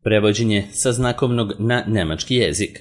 Prevođenje sa znakovnog na nemački jezik.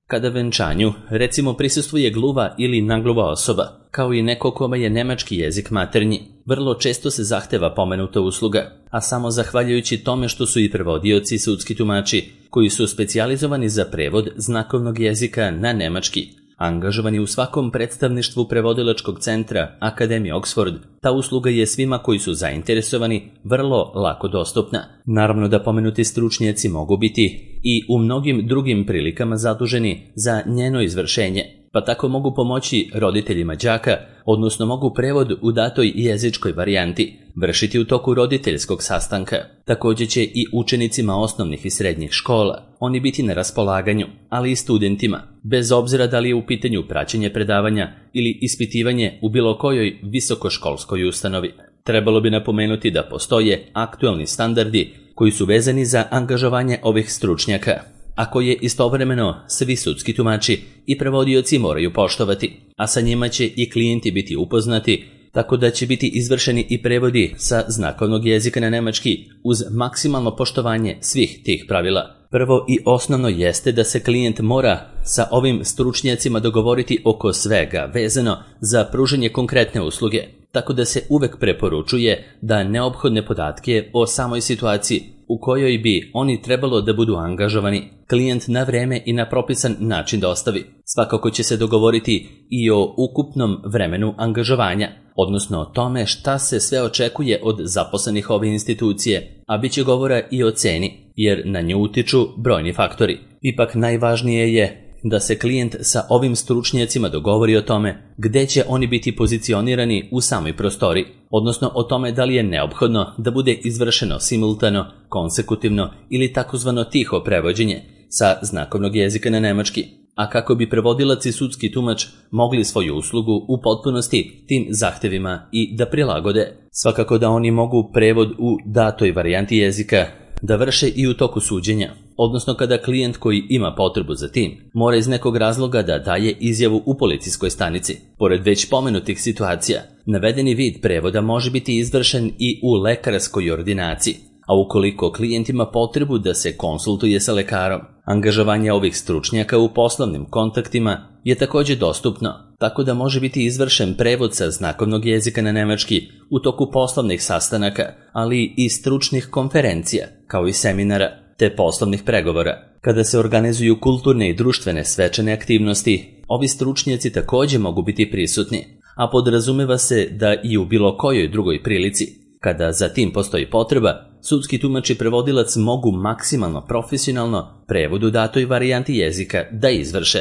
Kada venčanju, recimo, prisustvuje gluva ili nagluva osoba, kao i neko kome je nemački jezik maternji, vrlo često se zahteva pomenuta usluga, a samo zahvaljujući tome što su i prevodioci i sudski tumači, koji su specijalizovani za prevod znakovnog jezika na nemački, angažovani u svakom predstavništvu prevodilačkog centra Akademije Oxford, ta usluga je svima koji su zainteresovani vrlo lako dostupna. Naravno da pomenuti stručnjaci mogu biti i u mnogim drugim prilikama zaduženi za njeno izvršenje, pa tako mogu pomoći roditeljima đaka, odnosno mogu prevod u datoj jezičkoj varijanti vršiti u toku roditeljskog sastanka. Također će i učenicima osnovnih i srednjih škola oni biti na raspolaganju, ali i studentima, bez obzira da li je u pitanju praćenje predavanja ili ispitivanje u bilo kojoj visokoškolskoj ustanovi. Trebalo bi napomenuti da postoje aktualni standardi koji su vezani za angažovanje ovih stručnjaka, a koje istovremeno svi sudski tumači i prevodioci moraju poštovati, a sa njima će i klijenti biti upoznati, tako da će biti izvršeni i prevodi sa znakovnog jezika na nemački uz maksimalno poštovanje svih tih pravila. Prvo i osnovno jeste da se klijent mora sa ovim stručnjacima dogovoriti oko svega vezano za pružanje konkretne usluge, tako da se uvek preporučuje da neophodne podatke o samoj situaciji u kojoj bi oni trebalo da budu angažovani klijent na vreme i na propisan način dostavi. Svakako će se dogovoriti i o ukupnom vremenu angažovanja, odnosno o tome šta se sve očekuje od zaposlenih ove institucije, a bit će govora i o ceni, jer na nju utiču brojni faktori. Ipak najvažnije je da se klijent sa ovim stručnjacima dogovori o tome gde će oni biti pozicionirani u samoj prostoriji, odnosno o tome da li je neophodno da bude izvršeno simultano, konsekutivno ili takozvano tiho prevođenje sa znakovnog jezika na nemački, a kako bi prevodilac i sudski tumač mogli svoju uslugu u potpunosti tim zahtevima i da prilagode. Svakako da oni mogu prevod u datoj varijanti jezika da vrše i u toku suđenja, odnosno kada klijent koji ima potrebu za tim mora iz nekog razloga da daje izjavu u policijskoj stanici. Pored već pomenutih situacija, navedeni vid prevoda može biti izvršen i u lekarskoj ordinaciji, a ukoliko klijent ima potrebu da se konsultuje sa lekarom, angažovanje ovih stručnjaka u poslovnim kontaktima je također dostupno, tako da može biti izvršen prevod sa znakovnog jezika na nemački u toku poslovnih sastanaka, ali i stručnih konferencija, kao i seminara, te poslovnih pregovora. Kada se organizuju kulturne i društvene svečane aktivnosti, ovi stručnjaci također mogu biti prisutni, a podrazumeva se da i u bilo kojoj drugoj prilici, kada za tim postoji potreba, sudski tumač i prevodilac mogu maksimalno profesionalno prevod u datoj varijanti jezika da izvrše.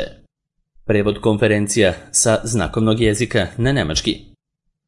Prevod konferencija sa znakovnog jezika na nemački.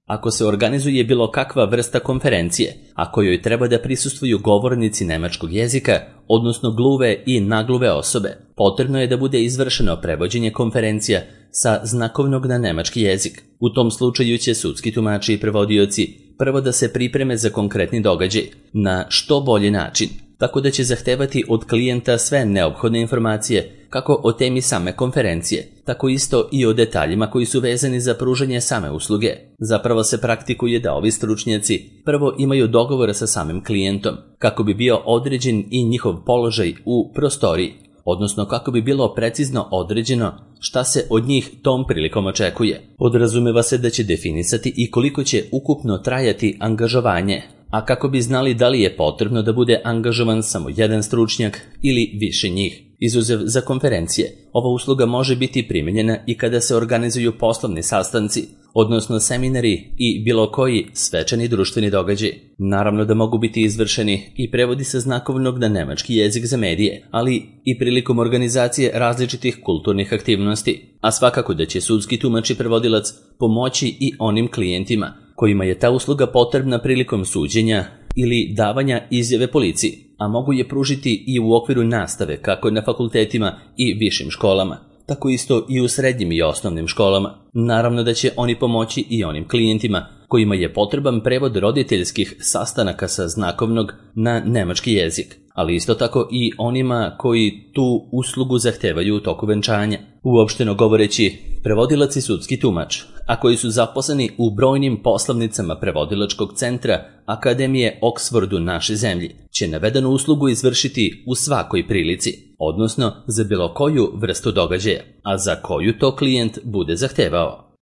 Ako se organizuje bilo kakva vrsta konferencije, a kojoj treba da prisustvuju govornici nemačkog jezika, odnosno gluve i nagluve osobe, potrebno je da bude izvršeno prevođenje konferencija sa znakovnog na nemački jezik. U tom slučaju će sudski tumači i prevodioci prvo da se pripreme za konkretni događaj na što bolji način, tako da će zahtevati od klijenta sve neophodne informacije kako o temi same konferencije, tako isto i o detaljima koji su vezani za pružanje same usluge. Zapravo se praktikuje da ovi stručnjaci prvo imaju dogovor sa samim klijentom, kako bi bio određen i njihov položaj u prostoriji, odnosno kako bi bilo precizno određeno šta se od njih tom prilikom očekuje. Podrazumeva se da će definisati i koliko će ukupno trajati angažovanje, a kako bi znali da li je potrebno da bude angažovan samo jedan stručnjak ili više njih. Izuzev za konferencije, ova usluga može biti primijenjena i kada se organizuju poslovni sastanci, odnosno seminari i bilo koji svečani društveni događaj. Naravno da mogu biti izvršeni i prevodi sa znakovnog na nemački jezik za medije, ali i prilikom organizacije različitih kulturnih aktivnosti, a svakako da će sudski tumač i prevodilac pomoći i onim klijentima kojima je ta usluga potrebna prilikom suđenja ili davanja izjave policiji, a mogu je pružiti i u okviru nastave kako na fakultetima i višim školama, tako isto i u srednjim i osnovnim školama. Naravno da će oni pomoći i onim klijentima kojima je potreban prevod roditeljskih sastanaka sa znakovnog na nemački jezik, ali isto tako i onima koji tu uslugu zahtevaju u toku venčanja. Uopšteno govoreći, prevodilac i sudski tumač, a koji su zaposleni u brojnim poslovnicama prevodilačkog centra Akademije Oxfordu naše zemlji, će navedenu uslugu izvršiti u svakoj prilici, odnosno za bilo koju vrstu događaja, a za koju to klijent bude zahtevao.